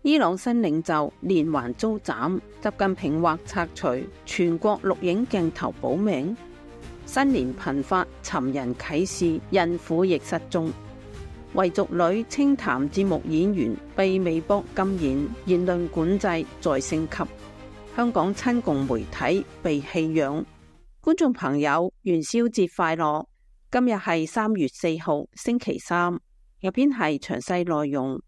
伊朗新領袖連環遭斬，習近平或拆除全國錄影鏡頭保命。新年頻發尋人啟事，孕婦亦失蹤。維族女清談節目演員被微博禁言，言論管制再升級。香港親共媒體被棄養。觀眾朋友，元宵節快樂！今日係3月4號，星期三。入邊係詳細內容。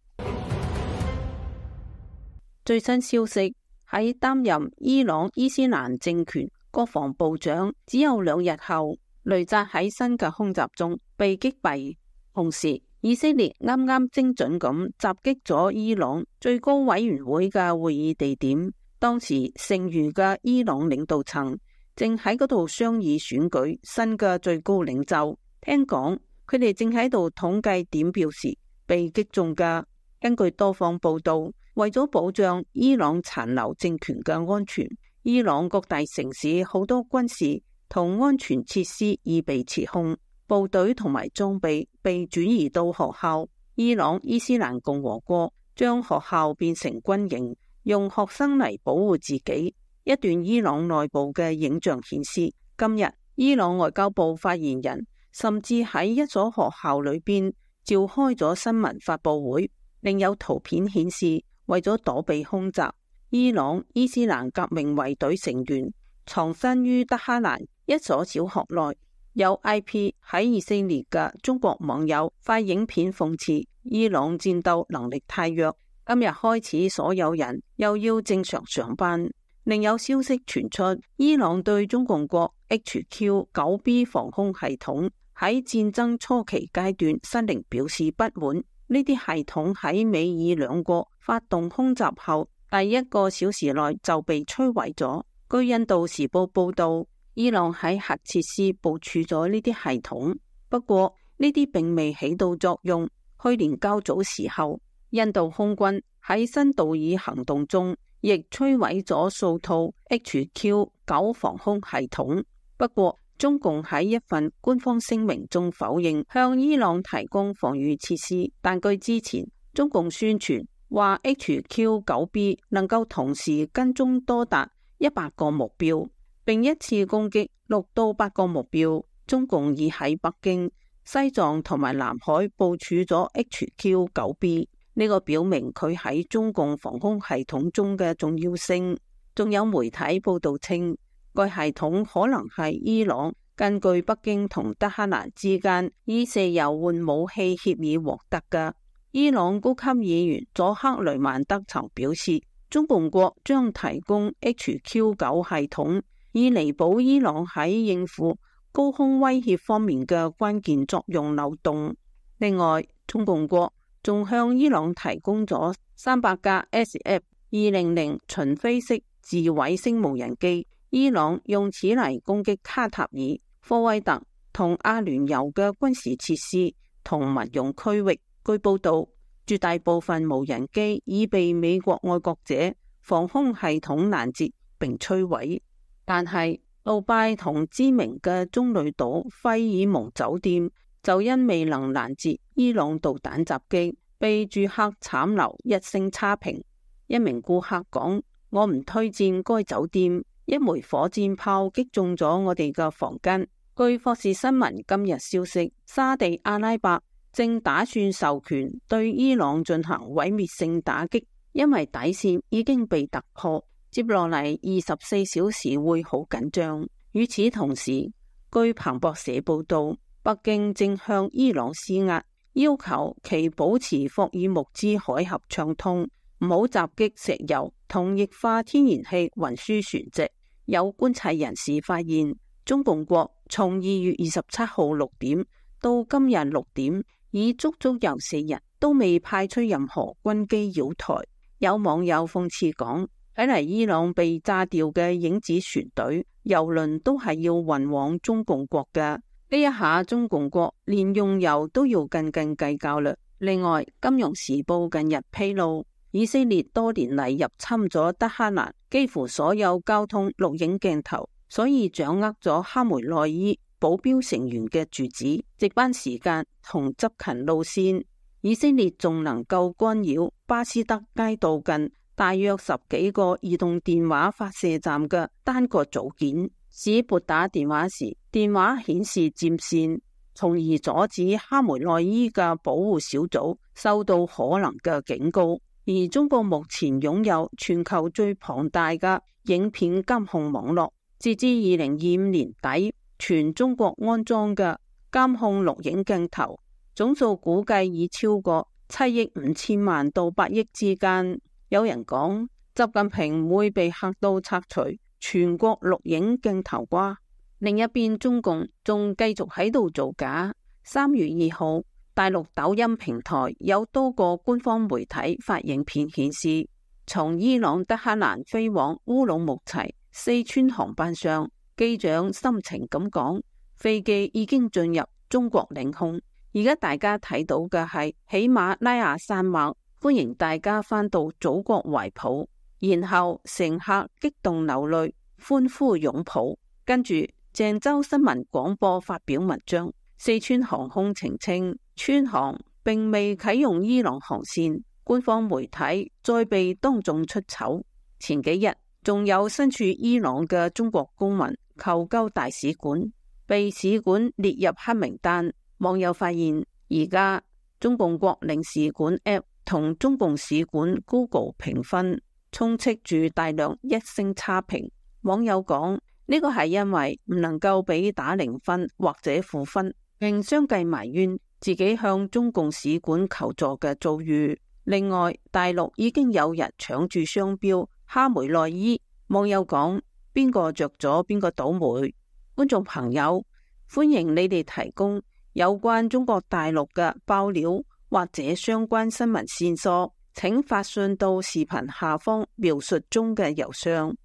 最新消息，喺擔任伊朗伊斯蘭政權國防部長只有2日後，雷扎喺新嘅空襲中被擊斃。同時，以色列啱啱精準咁襲擊咗伊朗最高委員會嘅會議地點。當時剩餘嘅伊朗領導層正喺嗰度商議選舉新嘅最高領袖。聽講佢哋正喺度統計點票時被擊中㗎。根據多方報道，為咗保障伊朗殘留政權嘅安全，伊朗各大城市好多軍事同安全設施已被撤控，部隊同埋裝備被轉移到學校。伊朗伊斯蘭共和國將學校變成軍營，用學生嚟保護自己。一段伊朗內部嘅影像顯示，今日伊朗外交部發言人甚至喺一所學校裏邊召開咗新聞發佈會。另有圖片顯示，為咗躲避空襲，伊朗伊斯蘭革命衛隊成員藏身於德黑蘭一所小學內。有 IP 喺以色列嘅中國網友發影片諷刺伊朗戰鬥能力太弱，今日開始所有人又要正常上班。另有消息傳出，伊朗對中共國 HQ-9B 防空系統喺戰爭初期階段失靈表示不滿。呢啲系統喺美伊兩國發動空襲後第1個小時內就被摧毀咗。據印度時報報道，伊朗喺核設施部署咗呢啲系統，不過呢啲並未起到作用。去年較早時候，印度空軍喺新道爾行動中亦摧毀咗數套 HQ-9 防空系統。不過中共喺一份官方聲明中否認向伊朗提供防禦設施，但據之前中共宣傳話 HQ-9B 能夠同時跟蹤多達100個目標，並一次攻擊6到8個目標。中共已喺北京、西藏同埋南海部署咗 HQ-9B， 呢個表明佢喺中共防空系統中嘅重要性。仲有媒體報道稱，該系統可能係伊朗根據北京同德黑蘭之間以石油換武器協議獲得嘅。伊朗高級議員佐克雷曼德曾表示，中共國將提供 HQ-9 系統，以彌補伊朗喺應付高空威脅方面嘅關鍵作用漏洞。另外，中共國仲向伊朗提供咗300架 SF-200巡飛式自毀星無人機。伊朗用此嚟攻擊卡塔爾、科威特同阿聯酋嘅軍事設施同民用區域。據報道，絕大部分無人機已被美國愛國者防空系統攔截並摧毀。但係杜拜同知名嘅棕櫚島費爾蒙酒店就因未能攔截伊朗導彈襲擊，被住客慘留1星差評。一名顧客講：我唔推薦該酒店。一枚火箭炮擊中咗我哋嘅房間。據霍士新聞今日消息，沙地阿拉伯正打算授權對伊朗進行毀滅性打擊，因為底線已經被突破，接落嚟24小時會好緊張。與此同時，據彭博社報道，北京正向伊朗施壓，要求其保持霍爾木茲海峽暢通，唔好襲擊石油同液化天然氣運輸船隻。有觀察人士發現，中共國從2月27號6點到今日6點，已足足有4日都未派出任何軍機擾台。有網友諷刺講，睇嚟伊朗被炸掉嘅影子船隊、油輪都係要運往中共國嘅。呢一下中共國連用油都要斤斤計較啦。另外，金融時報近日披露，以色列多年嚟入侵咗德黑蘭幾乎所有交通錄影鏡頭，所以掌握咗哈梅內伊保鏢成員嘅住址、值班時間同執勤路線。以色列仲能夠干擾巴斯德街道近大約10幾個移動電話發射站嘅單個組件，使撥打電話時電話顯示佔線，從而阻止哈梅內伊嘅保護小組收到可能嘅警告。而中國目前擁有全球最龐大嘅影片監控網絡，截至2025年底，全中國安裝嘅監控錄影鏡頭總數估計已超過7億5千萬到8億之間。有人講，習近平唔會被嚇到拆除全國錄影鏡頭啩？另一邊，中共仲繼續喺度造假。3月2號，大陸抖音平台有多個官方媒體發影片顯示，從伊朗德黑蘭飛往烏魯木齊四川航班上，機長深情咁講，飛機已經進入中國領空。而家大家睇到嘅係喜馬拉雅山脈，歡迎大家返到祖國懷抱。然後乘客激動流淚，歡呼擁抱。跟住鄭州新聞廣播發表文章，四川航空澄清，川航並未啟用伊朗航線，官方媒體再被當眾出醜。前幾日仲有身處伊朗嘅中國公民求救大使館，被使館列入黑名單。網友發現，而家中共國領事館 App 同中共使館 Google 評分充斥住大量1星差評。網友講，呢個係因為唔能夠俾打0分或者負分，並相繼埋怨自己向中共使館求助嘅遭遇。另外，大陸已經有人搶住商標哈梅內伊。網友講，邊個着咗邊個倒霉。觀眾朋友，歡迎你哋提供有關中國大陸嘅爆料或者相關新聞線索，請發信到視頻下方描述中嘅郵箱。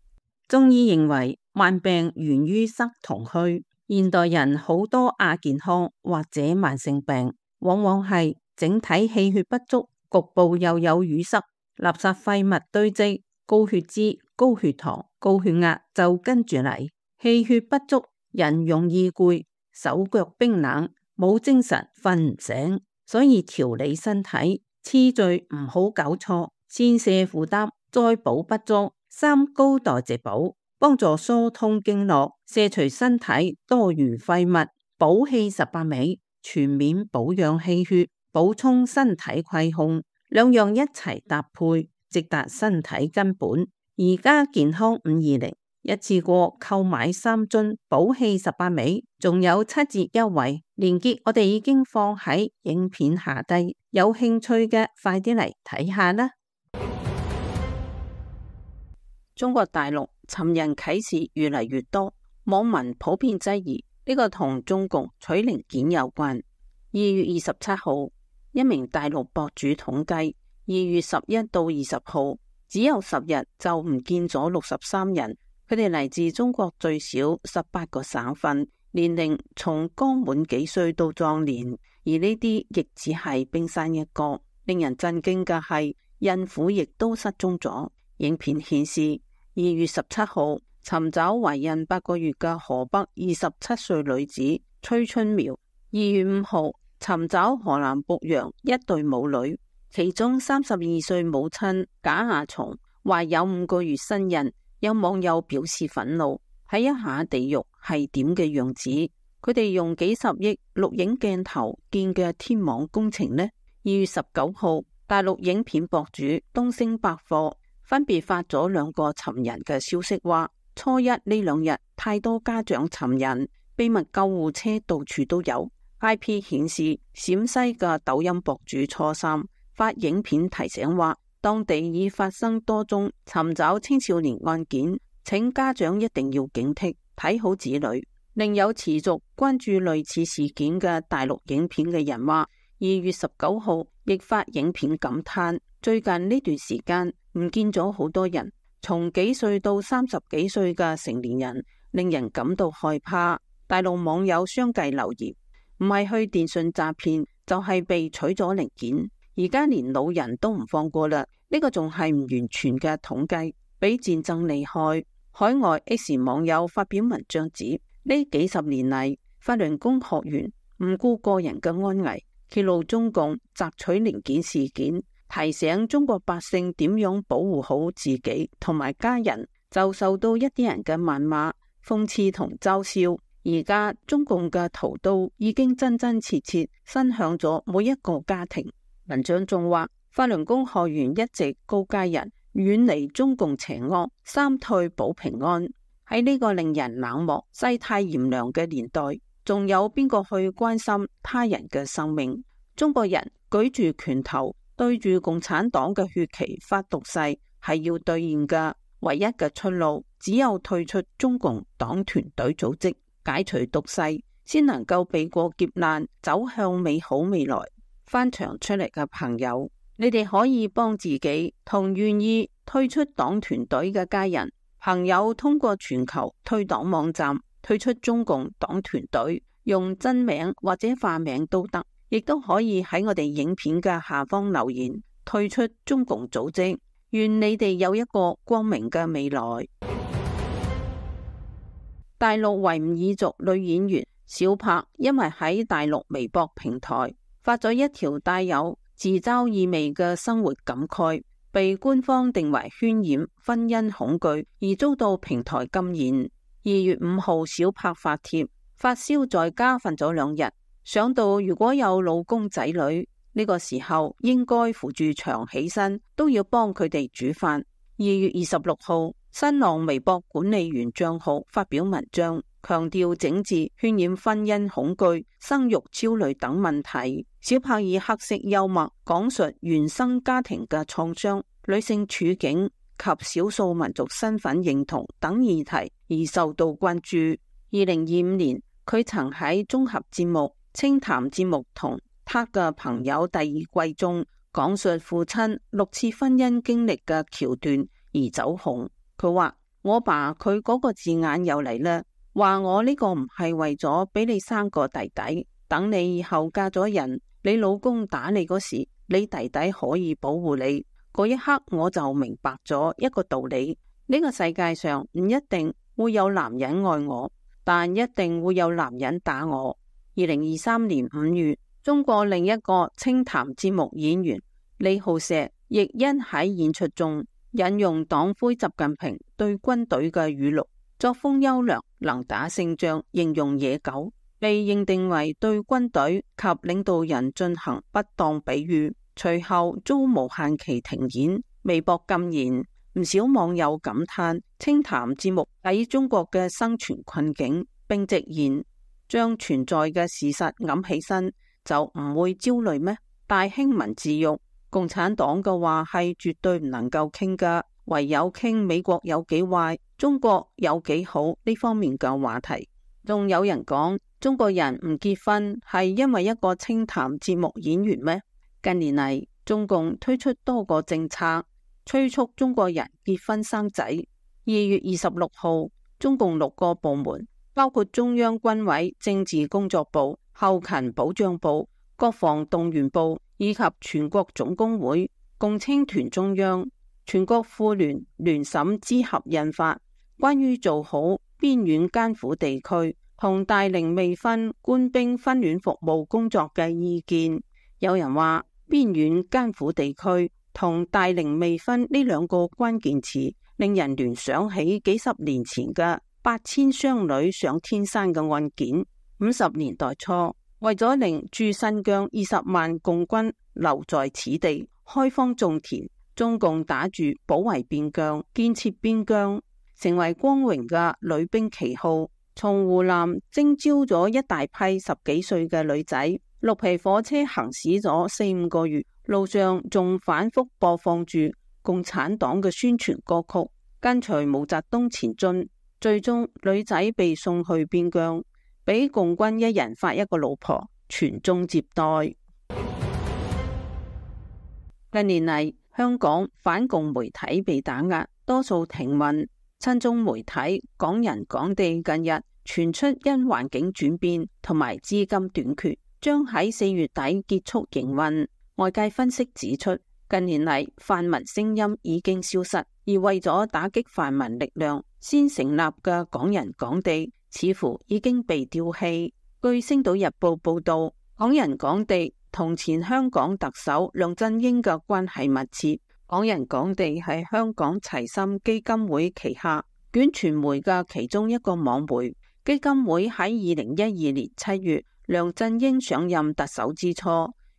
中醫認為，慢病源於塞同虛。現代人好多亞健康或者慢性病，往往係整體氣血不足，局部又有淤塞，垃圾廢物堆積，高血脂、高血糖、高血壓就跟住嚟。氣血不足，人容易攰，手腳冰冷，冇精神，瞓唔醒。所以調理身體次序唔好搞錯，先瀉負擔，再補不足。三高代謝補，幫助疏通經絡，卸除身體多餘廢物，補氣18味，全面保養氣血，補充身體虧空，兩樣一齊搭配，直達身體根本。而家健康520一次過購買3樽補氣18味，仲有7折優惠，連結我哋已經放喺影片下低，有興趣嘅快啲嚟睇下啦。中國大陸尋人啟事越嚟越多，網民普遍質疑呢個同中共取零件有關。2月27號，一名大陸博主統計，2月11到20號只有10日就唔見咗63人。佢哋嚟自中國最少18個省份，年齡從剛滿幾歲到壯年，而呢啲亦只係冰山一角。令人震驚嘅係，孕婦亦都失蹤咗。影片顯示，2月17號尋找懷孕8個月嘅河北27歲女子崔春苗，2月5號尋找河南濮陽一對母女，其中32歲母親賈亞松懷有5個月身孕。有網友表示憤怒，睇一下地獄係點嘅樣子。佢哋用幾十億錄影鏡頭建嘅天網工程呢？2月19號，大陸影片博主東升百貨分別發咗2個尋人嘅消息，話初一呢2日太多家長尋人，秘密救護車到處都有。IP 顯示，陝西嘅抖音博主初三發影片提醒話，當地已發生多宗尋找青少年案件，請家長一定要警惕，睇好子女。另有持續關注類似事件嘅大陸影片嘅人話，2月19號亦發影片感嘆，最近呢段時間唔見咗好多人，從幾歲到30幾歲嘅成年人，令人感到害怕。大陸網友相繼留言，唔係去電信詐騙，就係被取咗零件。而家連老人都唔放過啦，呢個仲係唔完全嘅統計，比戰爭厲害。海外 X 網友發表文章指，呢幾十年嚟，法輪功學員唔顧個人嘅安危，揭露中共摘取零件事件，提醒中國百姓點樣保護好自己同埋家人，就受到一啲人嘅謾罵、諷刺同嘲笑。而家中共嘅屠刀已經真真切切伸向咗每一個家庭。文章仲話，法輪功學員一直告誡人遠離中共邪惡，三退保平安。喺呢個令人冷漠、世態炎涼嘅年代，仲有邊個去關心他人嘅生命？中國人舉住拳頭對住共產黨嘅血旗發毒誓，係要兌現嘅。唯一嘅出路只有退出中共黨團隊組織，解除毒誓，先能夠避過劫難，走向美好未來。翻牆出嚟嘅朋友，你哋可以幫自己同願意退出黨團隊嘅家人朋友，通過全球退黨網站退出中共黨團隊，用真名或者化名都得，亦都可以喺我哋影片嘅下方留言退出中共組織。願你哋有一個光明嘅未來。大陸維吾爾族女演員小柏因為喺大陸微博平台發咗一條帶有自嘲意味嘅生活感慨，被官方定為渲染婚姻恐懼而遭到平台禁言。2月5號，小柏發帖發燒在家瞓咗2日，想到如果有老公仔女，呢個時候應該扶住牆起身，都要幫佢哋煮飯。2月26號，新浪微博管理員賬號發表文章，強調整治渲染婚姻恐懼、生育焦慮等問題。小柏以黑色幽默講述原生家庭嘅創傷、女性處境及少數民族身份認同等議題而受到關注。2025年，佢曾喺綜合節目、清談節目同他嘅朋友第2季中講述父親6次婚姻經歷嘅橋段而走紅。佢話：我爸佢嗰個字眼又嚟啦，話我呢個唔係為咗俾你生個弟弟，等你以後嫁咗人，你老公打你嗰時，你弟弟可以保護你。嗰一刻我就明白咗一個道理，呢個世界上唔一定會有男人愛我，但一定會有男人打我。2023年5月，中國另一個清談節目演員李浩石亦因喺演出中引用黨魁習近平對軍隊嘅語錄，作風優良，能打勝仗，形容野狗，被認定為對軍隊及領導人進行不當比喻，隨後遭無限期停演，微博禁言。唔少網友感嘆清談節目喺中國嘅生存困境，並直言將存在嘅事實揞起身就唔會焦慮咩？大興文字獄，共產黨嘅話係絕對唔能夠傾噶，唯有傾美國有幾壞，中國有幾好呢方面嘅話題。仲有人講中國人唔結婚係因為一個清談節目演員咩？近年嚟，中共推出多個政策，催促中國人結婚生仔。2月26號，中共6個部門，包括中央軍委政治工作部、後勤保障部、國防動員部以及全國總工會、共青團中央、全國婦聯聯審支合印發關於做好邊遠艱苦地區同大齡未婚官兵婚戀服務工作嘅意見。有人話邊遠艱苦地區同大齡未婚呢2個關鍵詞令人聯想起幾十年前嘅8000雙女上天山嘅案件。50年代初，為咗令駐新疆20萬共軍留在此地開荒種田，中共打住保衛邊疆、建設邊疆成為光榮嘅女兵旗號，從湖南徵召咗一大批10幾歲嘅女仔，綠皮火車行駛咗4-5個月，路上仲反覆播放住共產黨嘅宣傳歌曲，跟隨毛澤東前進。最終女仔被送去邊疆，俾共軍一人發一個老婆，傳宗接代。近年嚟，香港反共媒體被打壓，多數停運。親中媒體港人港地近日傳出因環境轉變同埋資金短缺，將喺4月底結束營運。外界分析指出，近年嚟泛民聲音已經消失，而為咗打擊泛民力量先成立嘅港人港地似乎已經被丟棄。據星島日報報道，港人港地同前香港特首梁振英嘅關係密切。港人港地係香港齊心基金會旗下卷傳媒嘅其中一個網媒。基金會喺2012年7月梁振英上任特首之初，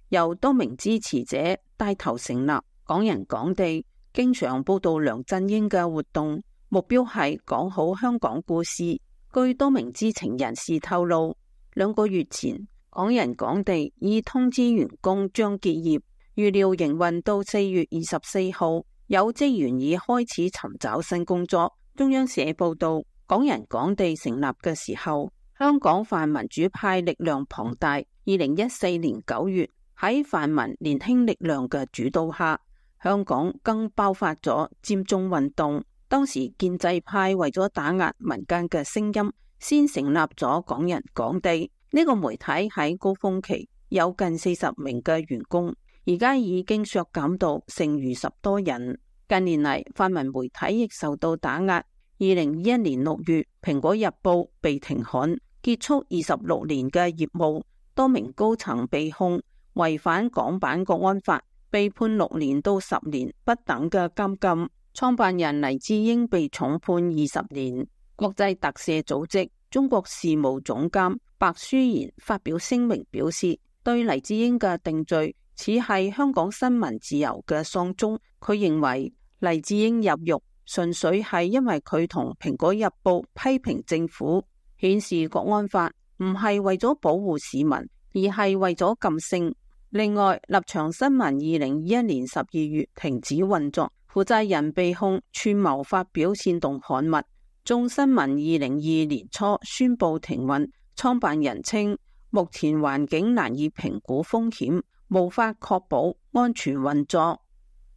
由多名支持者帶頭成立港人港地，經常報道梁振英嘅活動，目標係講好香港故事。據多名知情人士透露，2個月前港人港地已通知員工將結業，預料營運到4月24號，有職員已開始尋找新工作。中央社報道，港人港地成立嘅時候，香港泛民主派力量龐大。2014年9月，喺泛民年輕力量嘅主導下，香港更爆發咗佔中運動。當時建制派為咗打壓民間嘅聲音，先成立咗港人港地。呢個媒體喺高峰期有近40名嘅員工，而家已經削減到剩餘10多人。近年嚟，泛民媒體亦受到打壓。2021年6月，蘋果日報被停刊，結束26年嘅業務。多名高層被控違反港版國安法，被判6年到10年不等嘅監禁。創辦人黎智英被重判20年。國際特赦組織中國事務總監白舒賢發表聲明表示，對黎智英嘅定罪似係香港新聞自由嘅喪鐘。佢認為黎智英入獄純粹係因為佢同蘋果日報批評政府，顯示國安法唔係為咗保護市民，而係為咗禁聲。另外，立場新聞2021年12月停止運作，負責人被控串謀發表煽動刊物。眾新聞2022年初宣布停運，創辦人稱目前環境難以評估風險，無法確保安全運作。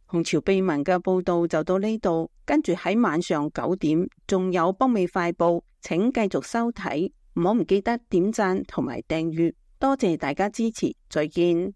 紅潮秘聞嘅報道就到呢度，跟住喺晚上9點仲有北美快報，請繼續收睇，唔好唔記得點讚同埋訂閱，多謝大家支持，再見。